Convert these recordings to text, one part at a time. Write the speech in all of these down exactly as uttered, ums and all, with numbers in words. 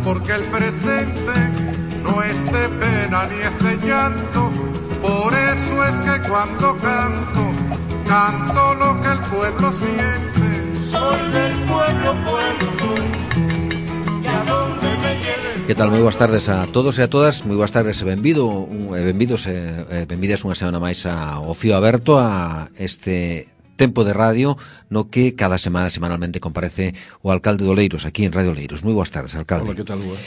porque el presente no es de pena ni es de llanto. Por eso es que cuando canto, canto lo que el pueblo siente. Soy del pueblo, pueblo soy, y a donde me lleve. Que tal? Moi boas tardes a todos e a todas. Moi boas tardes e benvido, un, e benvidos e benvidas unha semana máis ao Fío Aberto, a este tempo de radio no que cada semana, semanalmente, comparece o alcalde de Oleiros, aquí en Radio Oleiros. Moi boas tardes, alcalde. Hola, que tal, boa?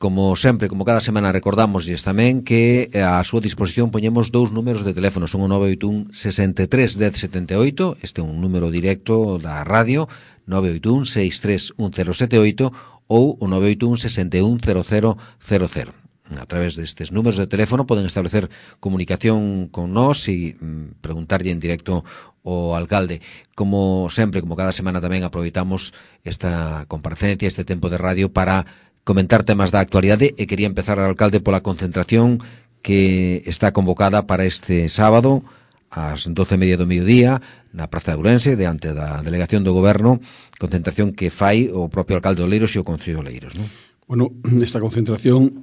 Como sempre, como cada semana, recordamosles tamén que a súa disposición poñemos dous números de teléfono. Son o nove oito un, sesenta e tres, dez, setenta e oito. Este é un número directo da radio, nove oito un, sesenta e tres, un cero sete oito, ou o nove oito un, sesenta e un, cero cero cero cero. A través destes números de teléfono poden establecer comunicación con nós e mm, preguntarlle en directo ao alcalde. Como sempre, como cada semana, tamén aproveitamos esta comparecencia, este tempo de radio para comentar temas da actualidade, e quería empezar, alcalde, pola concentración que está convocada para este sábado ás doce e media do mediodía na Praza de Ourense, diante da delegación do Goberno, concentración que fai o propio alcalde de Oleiros e o Concello de Oleiros, non? Bueno, esta concentración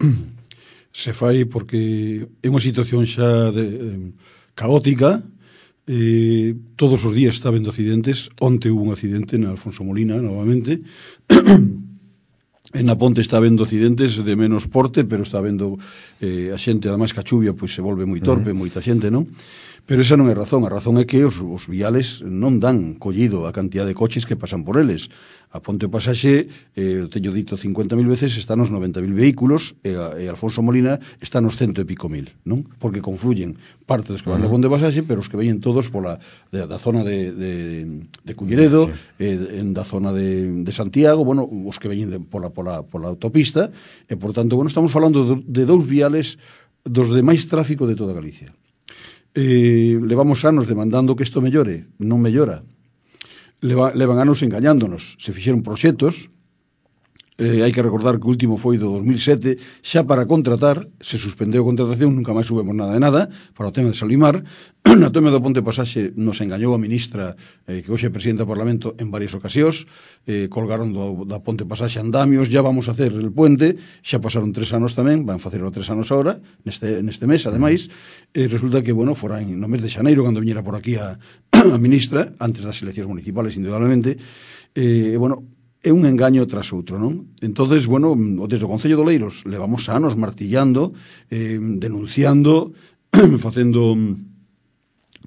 se fai porque é unha situación xa de, de, caótica. Eh, todos os días está vendo accidentes. Onte hubo un accidente na Alfonso Molina, novamente. En na Ponte está vendo accidentes de menos porte, pero está vendo eh, a xente, ademais que a chuvia pois se volve moi torpe, uh-huh. moita xente, non? Pero esa non é razón. A razón é que os, os viales non dan collido a cantidad de coches que pasan por eles. A Ponte Pasaxe, eh, teño dito cincuenta mil veces, está nos noventa mil vehículos, e, a, e Alfonso Molina está nos cento e pico mil, non? Porque confluyen parte dos que van uh-huh. da Ponte Pasaxe, pero os que veñen todos pola, de, da zona de, de, de Culleredo, sí. eh, en da zona de, de Santiago, bueno, os que veñen de, pola, pola, pola autopista, e, por tanto, bueno, estamos falando de, de dous viales dos de máis tráfico de toda Galicia. Eh, levamos anos demandando que isto mellore, non mellora. Leva, levan anos engañándonos. Se fixeron proxectos, eh, hai que recordar que o último foi do dos mil sete, xa para contratar, se suspendeu a contratación, nunca máis subemos nada de nada, para o tema de Solimar. Na tema do Ponte Pasaxe nos engañou a ministra, eh, que hoxe é presidenta do Parlamento, en varias ocasións. Eh, colgaron do, da Ponte Pasaxe andamios, ya vamos a hacer el puente, xa pasaron tres anos tamén, van facer tres anos agora, neste, neste mes, ademais. Eh, resulta que, bueno, fora en, no mes de xaneiro, cando viñera por aquí a, a ministra, antes das eleccións municipales, indudablemente, eh, bueno, é un engaño tras outro, non? Entonces, bueno, desde o Concello de Oleiros levamos anos martillando, eh, denunciando, facendo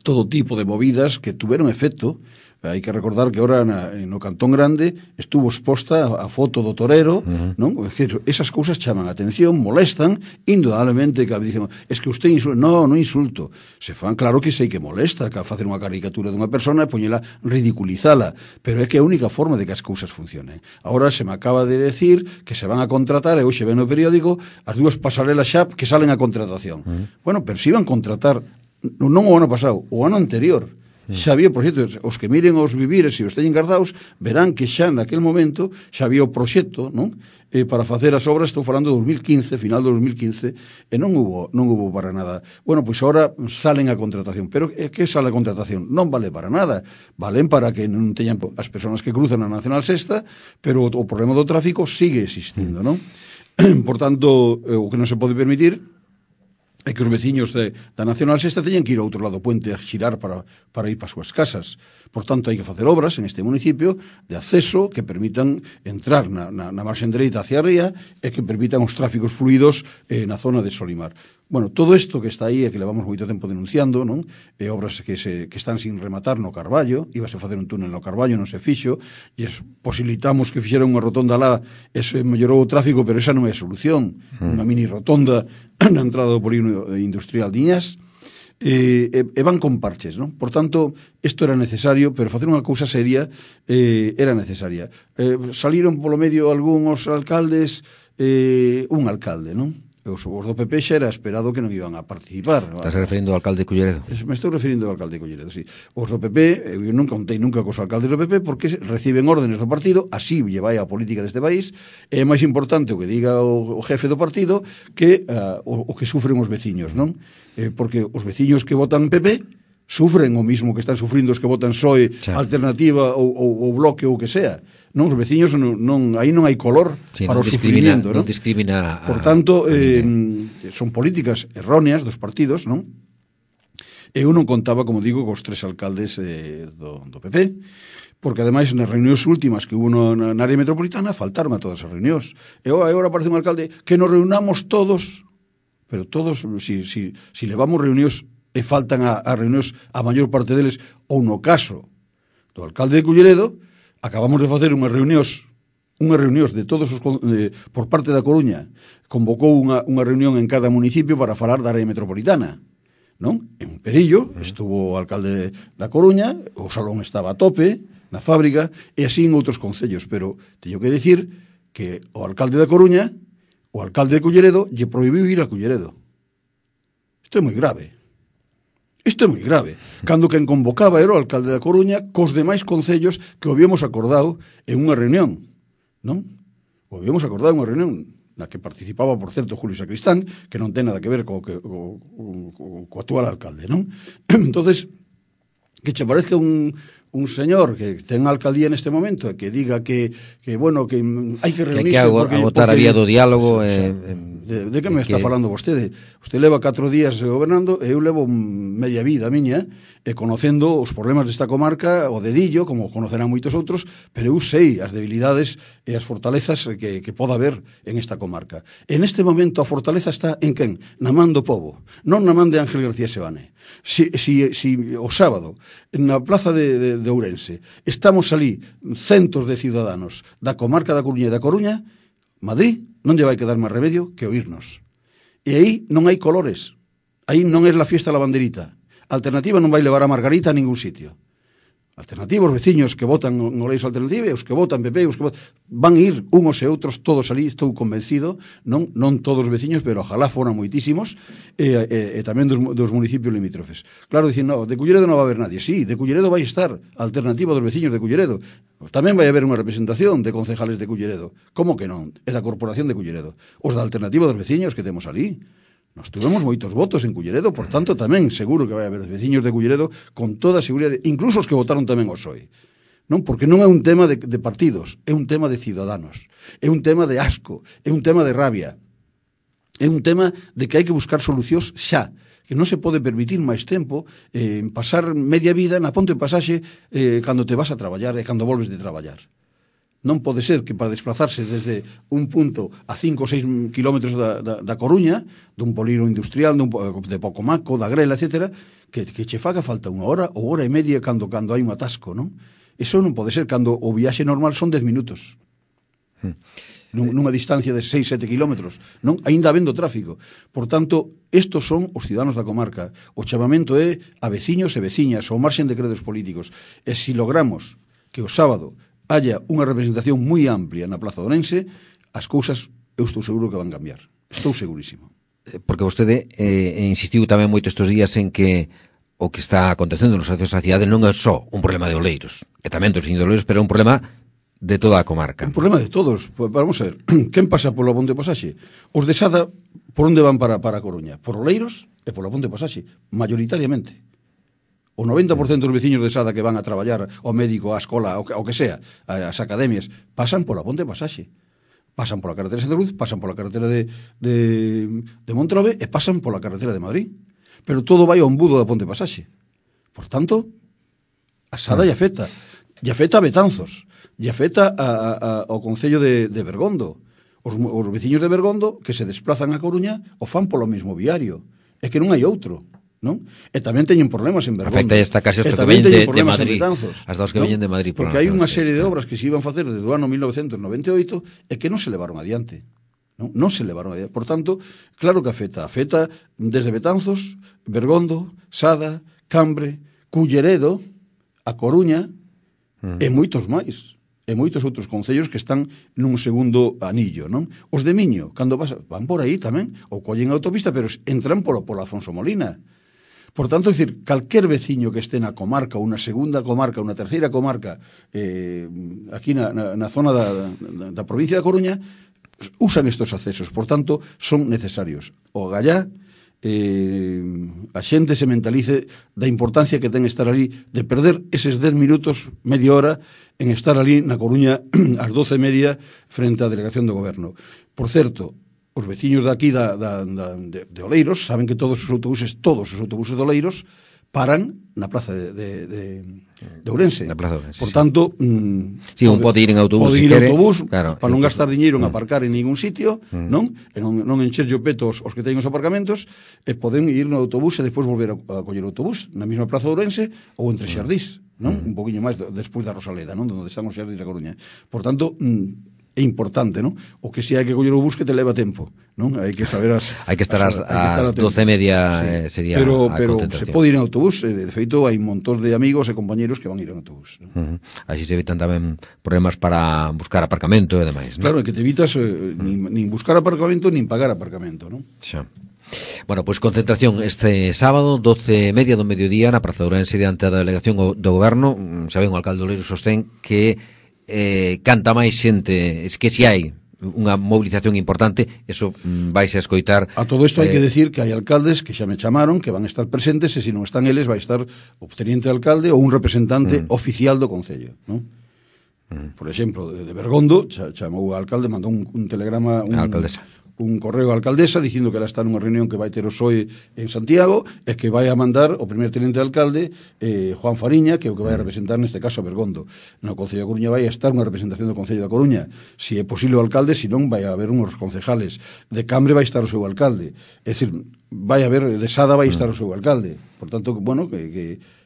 todo tipo de movidas que tuveron efecto. Hai que recordar que ahora na, no Cantón Grande estuvo exposta a, a foto do torero, uh-huh. non? É dicir, esas cousas chaman a atención, molestan, indudablemente, que dicen, es que usted insulta. No, non insulto. Se fan, claro que sei que molesta, que a facer unha caricatura dunha persona e poñela, ridiculizala, pero é que é a única forma de que as cousas funcionen. Ahora se me acaba de decir que se van a contratar, e hoxe ven no periódico, as dúas pasarelas xa que salen a contratación. Uh-huh. Bueno, pero se iban a contratar non o ano pasado, o ano anterior. Xa había proxectos, os que miren os vivires e os teñen guardados, verán que xa naquel momento xa había o proxecto, non? Eh, para facer as obras, estou falando de dos mil quince, final de dos mil quince, e non hubo, non hubo para nada. Bueno, pois agora salen a contratación, pero é que sale a contratación? Non vale para nada, valen para que non teñan as persoas que cruzan a Nacional Sexta, pero o, o problema do tráfico sigue existindo, non? Por tanto, eh, o que non se pode permitir é que os veciños de, da Nacional Sexta teñen que ir ao outro lado do puente a xirar para, para ir para as súas casas. Por tanto, hai que facer obras en este municipio de acceso que permitan entrar na, na, na marxen dereita hacia a ría e que permitan os tráficos fluidos eh, na zona de Solimar. Bueno, todo isto que está aí e que levamos moito tempo denunciando, non? E obras que, se, que están sin rematar no Carballo, íbase a facer un túnel no Carballo, non se fixo, e es, posibilitamos que fixeran unha rotonda lá, eso mellorou o tráfico, pero esa non é a solución. Mm. Unha mini rotonda na entrada do polígono industrial de Iñas, e, e, e van con parches, non? Por tanto, isto era necesario, pero facer unha cousa seria eh, era necesaria. Eh, saliron polo medio algúns alcaldes, eh, un alcalde, non? Os, os do P P xa era esperado que non iban a participar. Estás referindo ao alcalde Culleredo? Me estou referindo ao alcalde Culleredo, sí. Os do P P, eu non contei nunca cos alcaldes do P P porque reciben órdenes do partido, así lle vai a política deste país, é máis importante o que diga o, o jefe do partido que uh, o, o que sufren os veciños, non? Eh, porque os veciños que votan P P sufren o mismo que están sufrindo os que votan P S O E, sí. Alternativa ou, ou, ou Bloque ou o que sea. Non, os veciños non, non, aí non hai color sí, para o sufrimiento, non? Non discrimina a, por tanto, a eh, son políticas erróneas dos partidos, non? E eu non contaba, como digo, cos tres alcaldes eh, do, do P P, porque ademais nas reunións últimas que hubo no, na área metropolitana faltaron a todas as reunións. E agora aparece un alcalde que nos reunamos todos, pero todos, si, si, si levamos reunións e faltan a, a reunións a maior parte deles, ou no caso do alcalde de Culleredo, acabamos de facer unhas reunións unhas reunións de todos os de, por parte da Coruña, convocou unha, unha reunión en cada municipio para falar da área metropolitana, non? En Perillo estuvo o alcalde da Coruña, o salón estaba a tope na fábrica, e así en outros concellos, pero teño que dicir que o alcalde da Coruña, o alcalde de Culleredo, lle prohibiu ir a Culleredo. Isto é moi grave. Isto é moi grave. Cando quen convocaba era o alcalde da Coruña cos demais concellos que o habíamos acordado en unha reunión, non? O habíamos acordado en unha reunión na que participaba, por certo, Julio Sacristán, que non ten nada que ver co, co, co, co, co actual alcalde, non? Entonces, que che parezca un, un señor que ten a alcaldía neste momento e que diga que, que bueno, que hai que reunirse... Que hai que porque, agotar porque, a vía do diálogo... O sea, eh, de, de que me que... está falando vostede? Usted leva catro días gobernando e eu levo media vida miña e conocendo os problemas desta comarca, o dedillo, como conocerán moitos outros, pero eu sei as debilidades e as fortalezas que, que poda haber en esta comarca. En este momento a fortaleza está en quen? Na man do povo, non na man de Ángel García Sebane. Si, si, si o sábado na plaza de, de, de Ourense estamos ali centos de ciudadanos da comarca da Coruña e da Coruña, Madrid non lle vai quedar máis remedio que oírnos. E aí non hai colores, aí non é la fiesta la banderita. Alternativa non vai levar a Margarita a ningún sitio. Alternativa, os veciños que votan no Leis Alternativa, os que votan P P, os que votan, van ir unos e outros todos ali, estou convencido, non non todos os veciños, pero ojalá foran moitísimos, e, e, e tamén dos, dos municipios limítrofes. Claro, dicen, no, de Culleredo non vai haber nadie. Sí, de Culleredo vai estar a Alternativa dos veciños de Culleredo. Tamén vai haber unha representación de concejales de Culleredo. Como que non? É da Corporación de Culleredo. Os da Alternativa dos veciños que temos ali. Nos tuvemos moitos votos en Culleredo, por tanto, tamén seguro que vai haber veciños de Culleredo con toda a seguridade, incluso os que votaron tamén o P S O E. Non? Porque non é un tema de, de partidos, é un tema de ciudadanos, é un tema de asco, é un tema de rabia, é un tema de que hai que buscar solucións xa, que non se pode permitir máis tempo eh, pasar media vida na ponte de pasaxe eh, cando te vas a traballar e cando volves de traballar. Non pode ser que para desplazarse desde un punto a cinco ou seis kilómetros da, da, da Coruña, dun polígono industrial, dun, de Pocomaco, da Grela, etcétera, que, que che faga falta unha hora ou hora e media cando, cando hai un atasco, non? Eso non pode ser cando o viaxe normal son dez minutos. Hmm. Nun, nunha distancia de seis, sete kilómetros, non? Ainda habendo tráfico. Por tanto, estos son os ciudadanos da comarca. O chamamento é a veciños e veciñas, ao marxen de credos políticos. E se logramos que o sábado haya unha representación moi amplia na Plaza de Ourense, as cousas eu estou seguro que van cambiar. Estou segurísimo. Porque vostede eh, insistiu tamén moito estes días en que o que está acontecendo nos accesos á cidade non é só un problema de Oleiros, e tamén dos veciños de Oleiros, pero é un problema de toda a comarca. Un problema de todos. Pues, vamos a ver, quen pasa polo Ponte de Pasaxe? Os de Sada, por onde van para, para a Coruña? Por Oleiros e polo Ponte de Pasaxe, mayoritariamente. O noventa por cento dos veciños de Sada que van a traballar ao médico, á escola, ao que, ao que sea, as academias, pasan pola Ponte de Pasaxe. Pasan pola carretera de Santa Cruz, pasan pola carretera de, de, de Montrove e pasan pola carretera de Madrid. Pero todo vai ao embudo da Ponte de Pasaxe. Por tanto, a Sada lle afecta. Lle afecta a Betanzos. Lle afecta a, a, a, ao Concello de, de Bergondo. Os, os veciños de Bergondo que se desplazan a Coruña o fan polo mesmo viario. É que non hai outro. Non? E tamén teñen problemas en Bergondo. Afecta esta case os que veñen de, de Madrid, as dos que veñen de Madrid. Porque hai unha serie de obras que se iban a facer desde o ano mil novecentos noventa e oito e que non se levaron adiante. Non, non se levaron adiante. Por tanto, claro que afecta. Afecta desde Betanzos, Bergondo, Sada, Cambre, Culleredo, a Coruña uh-huh. e moitos máis. E moitos outros concellos que están nun segundo anillo, non? Os de Miño, cando vas, van por aí tamén, ou collen a autopista, pero entran por, por Afonso Molina. Por tanto, é dicir, calquer veciño que este na comarca, unha segunda comarca, unha terceira comarca, eh, aquí na, na, na zona da, da, da provincia da Coruña, usan estos accesos. Por tanto, son necesarios. O Gallá eh, a xente se mentalice da importancia que ten estar ali, de perder eses dez minutos, media hora, en estar ali na Coruña ás doce e media frente á delegación do goberno. Por certo, os veciños de aquí da, da, da, de, de Oleiros saben que todos os autobuses, todos os autobuses de Oleiros paran na plaza de, de, de, de Ourense. Na plaza de Ourense, por tanto, sí, mm, sí, un pode ir en autobús, pode si ir en quere, autobús, claro, para non gastar diñeiro en mm. aparcar en ningún sitio, mm. non? E non, non encherlle o peto os, os que teñen os aparcamentos, e poden ir no autobús e despois volver a, a coller o autobús na mesma plaza de Ourense ou entre Xardís, non? Mm. Un poquinho máis despois da Rosaleda, non? Donde están os Xardís da Coruña. Por tanto, mm, é importante, non? O que si hai que coller o bus que te leva tempo, non? Hai que saber as... hai que estar as, as doce e media, sí. eh, sería pero, a pero concentración. Se pode ir en autobús, eh, de feito hai un montón de amigos e compañeros que van a ir en autobús, ¿no? Uh -huh. Así se evitan tamén problemas para buscar aparcamento e demais, ¿no? Claro, é que te evitas eh, nin, nin buscar aparcamento nin pagar aparcamento, non? Xa. Bueno, pois pues, concentración este sábado, doce e media do mediodía na Praza de Ourense diante da delegación do goberno. Xa ben, o alcalde Oleiro sostén que eh, canta máis xente, es que si hai unha movilización importante, eso mm, vais a escoitar. A todo isto hai eh, que decir que hai alcaldes que xa me chamaron, que van a estar presentes, e se non están eles vai estar o teniente alcalde ou un representante mm. oficial do concello, non? Mm. Por exemplo, de, de Bergondo, cha, chamou o alcalde, mandou un, un telegrama, un, un correo á alcaldesa dicindo que ela está nunha reunión que vai ter o P S O E en Santiago e que vai a mandar o primer teniente alcalde, eh, Juan Fariña, que é o que vai a representar neste caso a Bergondo. No Concello da Coruña vai a estar unha representación do Concello da Coruña, si é posible o alcalde, si non vai a haber uns concejales. De Cambre vai estar o seu alcalde, é dicir, vai a haber, de Sada vai estar o seu alcalde. Por tanto, bueno, que, que,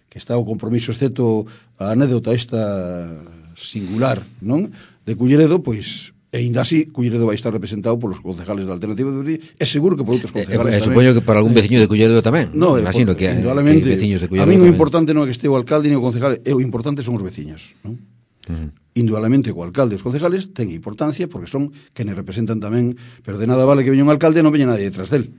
que está o compromiso, excepto a anécdota esta singular, non? De Culleredo, pois e ainda así, Culleredo vai estar representado polos concejales da Alternativa de Madrid, é seguro que por outros concejales eh, eh, tamén. Supoño que para algún veciño de Culleredo tamén. No, imagino por, que, que veciños de Culleredo. A mí o importante non é que este o alcalde ni o concejal, é o importante son os veciños, non? Uh -huh. Indudablemente o alcalde e os concejales ten importancia porque son quenes representan tamén, pero de nada vale que veña un alcalde e non veña nadie detrás del,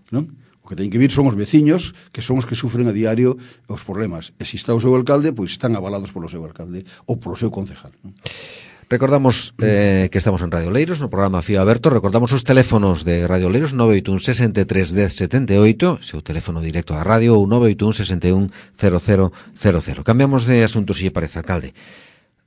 non? O que teñen que vir son os veciños, que son os que sufren a diario os problemas. E se está o seu alcalde, pois están avalados polo seu alcalde ou polo seu concejal, non? Recordamos eh, que estamos en Radio Oleiros, no programa Fío Aberto. Recordamos os teléfonos de Radio Oleiros, nove oito un, sesenta e tres, dez, setenta e oito, seu teléfono directo da radio, ou nove oito un, sesenta e un, cero cero cero cero. Cambiamos de asunto, se lle parece, alcalde.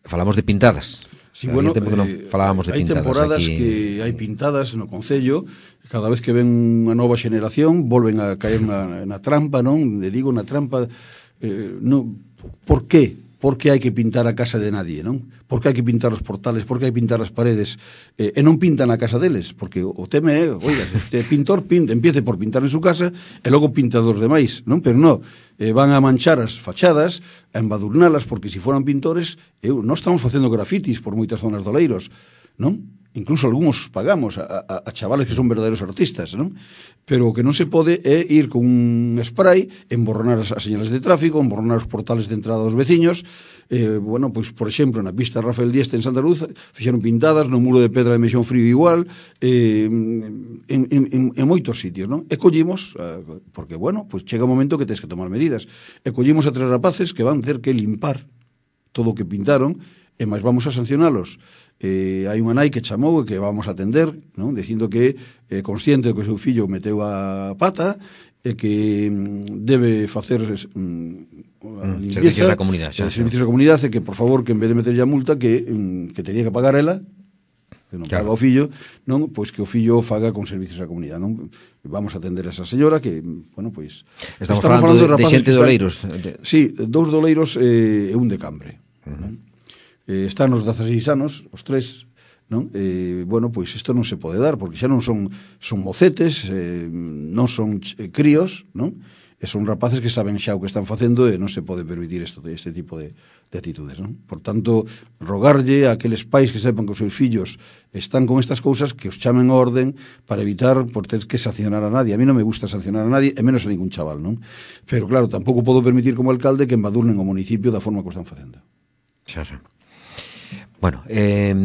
Falamos de pintadas. Sí, bueno, tempo que non falábamos de hai pintadas temporadas aquí. Que hai pintadas no Concello, cada vez que ven unha nova xeneración volven a caer na, na trampa, non? Le digo, na trampa, eh, no, por qué? Por que hai que pintar a casa de nadie, non? Por que hai que pintar os portales, por que hai que pintar as paredes, eh, e non pintan a casa deles, porque o, o tema é, oiga, se usted é pintor, pinta, empiece por pintar en su casa e logo pinta dos demais, non? Pero non, eh, van a manchar as fachadas, a embadurnalas, porque se foran pintores, eu, non estamos facendo grafitis por moitas zonas de Oleiros, non? Incluso algúns pagamos a, a, a chavales que son verdadeiros artistas, non? Pero o que non se pode é ir con un spray, emborronar as, as señales de tráfico, emborronar os portales de entrada dos veciños. Eh, bueno, pois, por exemplo, na pista Rafael Dieste en Santa Luz fixeron pintadas, no muro de pedra de Meixón Frío igual, eh, en, en, en, en moitos sitios, non? E collimos, eh, porque, bueno, pois chega un momento que tens que tomar medidas, e collimos a tres rapaces que van ter que limpar todo o que pintaron, e máis vamos a sancionalos. Eh, hai unha nai que chamou e que vamos a atender, non? Dicindo que é eh, consciente de que o seu fillo meteu a pata e que mm, debe facer mm, a limpieza, servicios da comunidade, xa, eh, servicios da comunidade, e que por favor que en vez de meterlle a multa que, mm, que tenía que pagar ela, que non claro. paga o fillo, non, pois que o fillo faga con servicios da comunidade, non? Vamos a atender a esa señora que, bueno, pois estamos, estamos falando, falando de, de xente de Oleiros. Sí, dous de Oleiros e eh, un de Cambre. Uh -huh. Non? Eh, están os dezaseis anos, os tres, non? Eh, bueno, pois isto non se pode dar, porque xa non son son mocetes, eh, non son eh, críos, non? E son rapaces que saben xa o que están facendo e non se pode permitir isto, este tipo de, de actitudes, non? Por tanto, rogarlle a aqueles pais que sepan que os seus fillos están con estas cousas, que os chamen a orden para evitar por ter que sancionar a nadie. A mí non me gusta sancionar a nadie, e menos a ningún chaval, non? Pero claro, tampouco podo permitir como alcalde que embadurnen o municipio da forma que o están facendo. Xa, xa. Bueno, eh,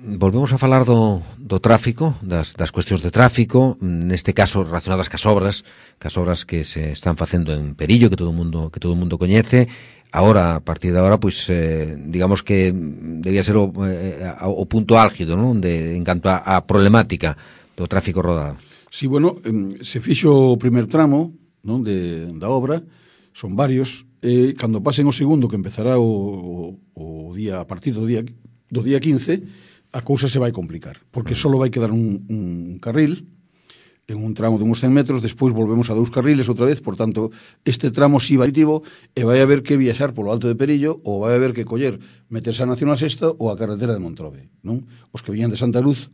volvemos a falar do, do tráfico, das, das cuestións de tráfico, neste caso relacionadas cas obras, cas obras que se están facendo en Perillo, que todo o mundo que todo o mundo coñece. Ahora, a partir de agora, pois, eh, digamos que debía ser o, eh, o punto álgido, non? De, en canto a, a problemática do tráfico rodado. Si, bueno, eh, se fixo o primer tramo, non, de, da obra, son varios, e cando pasen o segundo, que empezará o, o, o día, a partir do día, do día quince, a cousa se vai complicar, porque só vai quedar un, un carril, en un tramo de uns cen metros, despois volvemos a dous carriles outra vez, por tanto, este tramo si vai positivo, e vai haber que viaxar polo Alto de Perillo, ou vai haber que coller, meterse a Nacional Sexta ou a carretera de Montrobe, non? Os que viñan de Santa Luz,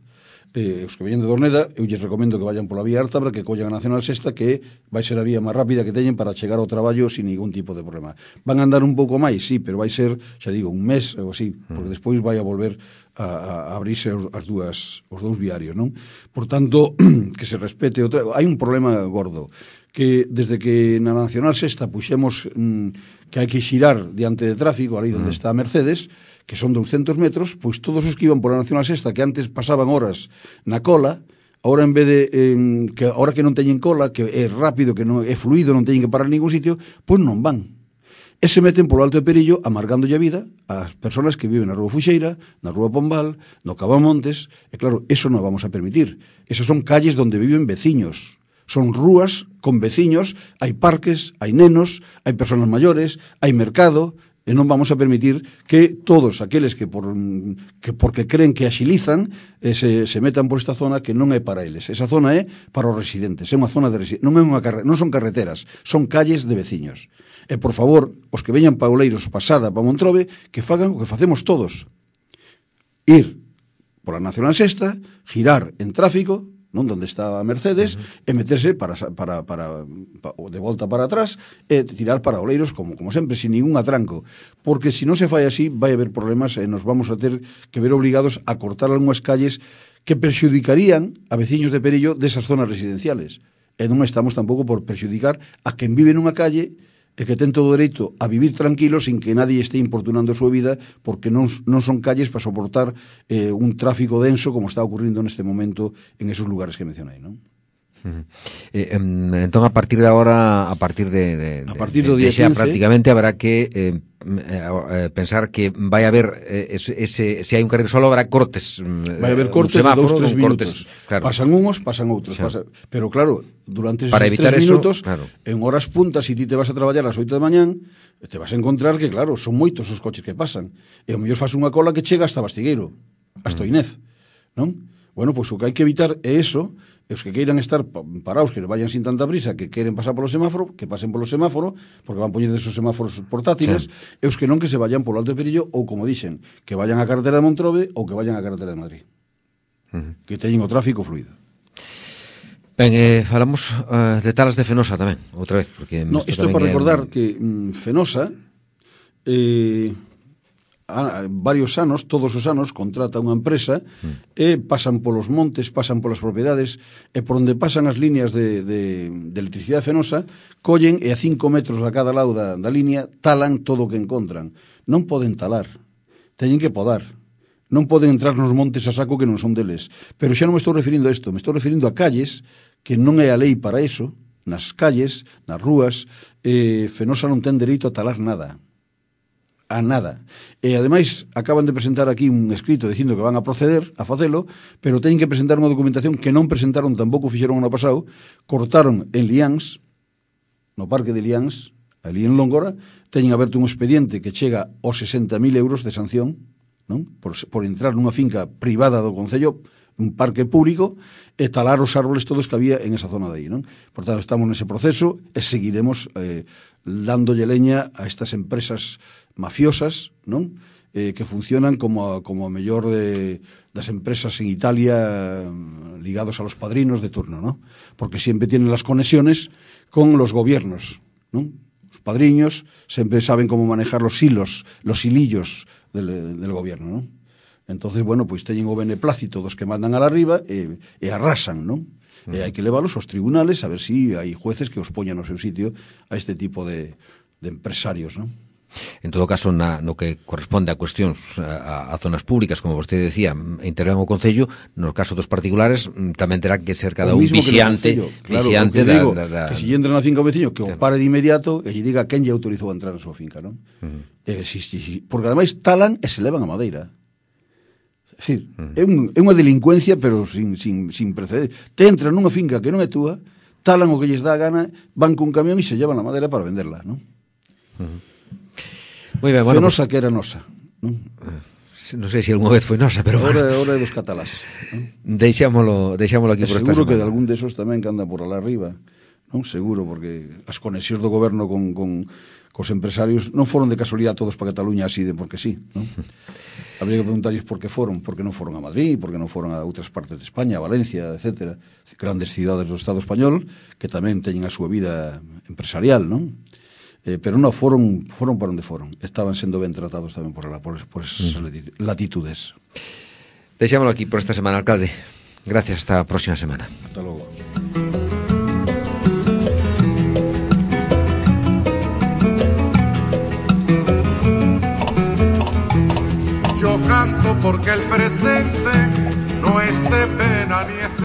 eh, os que veñen de Dorneda, eu lles recomendo que vayan pola vía Ártabra, que collan a Nacional Sexta, que vai ser a vía máis rápida que teñen para chegar ao traballo sin ningún tipo de problema. Van a andar un pouco máis, sí, pero vai ser, xa digo, un mes ou así, porque despois vai a volver a, a abrirse as dúas, os dous viarios, non? Por tanto, que se respete outra... Hai un problema gordo, que desde que na Nacional Sexta puxemos mm, que hai que xirar diante de tráfico, ali onde está a Mercedes, que son douscentos metros, pois todos os que iban por a Nacional Sexta, que antes pasaban horas na cola, ahora en vez de, eh, que ahora que non teñen cola, que é rápido, que non é fluido, non teñen que parar en ningún sitio, pois non van. E se meten polo Alto de Perillo, amargándolle a vida ás persoas que viven na Rúa Fuxeira, na Rúa Pombal, no Cabamontes, e claro, eso non vamos a permitir. Esas son calles donde viven veciños. Son rúas con veciños, hai parques, hai nenos, hai persoas maiores, hai mercado, e non vamos a permitir que todos aqueles que, por, que porque creen que axilizan eh, se, se metan por esta zona que non é para eles. Esa zona é para os residentes, é unha zona de residentes, non, é unha carre, non son carreteras, son calles de veciños. E, por favor, os que veñan pa Oleiros pasada pa Montrobe, que fagan o que facemos todos. Ir pola Nacional Sexta, girar en tráfico, non donde está a Mercedes, uh-huh. e meterse para, para, para, para de volta para atrás e tirar para Oleiros como, como sempre, sin ningún atranco, porque se non se fai así vai haber problemas e nos vamos a ter que ver obligados a cortar algunhas calles que perxudicarían a veciños de Perillo desas zonas residenciales, e non estamos tampouco por perxudicar a quen vive nunha calle e que ten todo o dereito a vivir tranquilo sin que nadie esté importunando a súa vida, porque non, non son calles para soportar eh, un tráfico denso como está ocurrindo neste momento en esos lugares que mencionei, non? Uh-huh. Eh, entón, a partir de agora, a partir de, de, a partir do día de xa quince, prácticamente habrá que eh, eh, pensar que vai haber eh, ese, ese, se hai un carril solo habrá cortes, vai haber cortes de dous, tres minutos, cortes, claro. Pasan unhos, pasan outros, pasa, pero claro, durante esos tres minutos, claro. En horas puntas, se si ti te vas a traballar ás oito da mañán, te vas a encontrar que, claro, son moitos os coches que pasan, e ao mellor faz unha cola que chega hasta Bastigueiro, hasta Oinez, non? Bueno, pois o que hai que evitar é eso, e os que queiran estar parados, que vayan sin tanta prisa, que queren pasar polo semáforo, que pasen polo semáforo, porque van poñer esos semáforos portátiles, sí. E os que non, que se vayan polo Alto de Perillo, ou, como dixen, que vayan á carretera de Montrobe ou que vayan á carretera de Madrid. Uh-huh. Que teñen o tráfico fluido. Ben, eh, falamos uh, de Talas de Fenosa tamén, outra vez, porque... No, isto é para recordar un... que mm, Fenosa... Eh, a, varios anos, todos os anos, contrata unha empresa mm. e pasan polos montes, pasan polas propiedades, e por onde pasan as líneas de, de, de electricidade fenosa, collen e a cinco metros a cada lado da, da línea talan todo o que encontran. Non poden talar, teñen que podar. Non poden entrar nos montes a saco que non son deles. Pero xa non me estou referindo a isto, me estou referindo a calles, que non é a lei para iso, nas calles, nas rúas, eh, Fenosa non ten dereito a talar nada. A nada. E, ademais, acaban de presentar aquí un escrito dicindo que van a proceder a facelo, pero teñen que presentar unha documentación que non presentaron, tampouco fixeron ano pasado, cortaron en Liáns, no parque de Liáns, ali en Longora, teñen aberto un expediente que chega aos sesenta mil euros de sanción, non? Por, por entrar nunha finca privada do Concello, un parque público, e talar os árboles todos que había en esa zona de aí, non? Por tanto, estamos nese proceso e seguiremos eh, dándolle leña a estas empresas mafiosas, non? Eh, que funcionan como a, como a mellor de, das empresas en Italia ligados a los padrinos de turno, non? Porque sempre tienen las conexiones con los gobiernos, non? Os padriños sempre saben como manejar los hilos, los hilillos del, del gobierno, non? Entonces, bueno, pois teñen o beneplácito dos que mandan a la arriba e, e arrasan, non? Uh-huh. E hai que leválos aos tribunales a ver si hai jueces que os poñan no seu sitio a este tipo de, de empresarios, non? En todo caso, na, no que corresponde a cuestións a, a zonas públicas, como vostede decía, intervén o Concello, no caso dos particulares tamén terá que ser cada un vixiante, claro, vixiante da, digo, da, da... que si entra na finca o veciño, que claro. O pare de inmediato e lle diga quen lle autorizou a entrar na súa finca, non? Uh-huh. Eh, si, si, si, porque ademais talan e se levan a madeira. Sí, é, un, é unha delincuencia, pero sin, sin, sin precedente. Te entran nunha finca que non é túa, talan o que lles dá a gana, van cun camión e se llevan a madera para venderla, non? Uh-huh. Moi ben, bueno, nosa pues, que era nosa, non? Non sei se algunha vez foi nosa, pero Ora, bueno. Ora é dos catalás, non? Deixámolo, deixámolo aquí e por esta semana. Seguro que de algún desos tamén que anda por alá arriba, non? Seguro, porque as conexións do goberno con, con cos empresarios non foron de casualidade todos para Cataluña así de porque sí, non? Habría que preguntarles por que foron, por que non foron a Madrid, por que non foron a outras partes de España, a Valencia, etcétera, grandes cidades do Estado español que tamén teñen a súa vida empresarial, non? Eh, pero non foron foron para onde foron, estaban sendo ben tratados tamén por lá, por, por esas mm. latitudes. Deixámoslo aquí por esta semana, alcalde. Gracias, hasta a próxima semana. Hasta logo. Yo canto porque el presente no es de pena ni es de...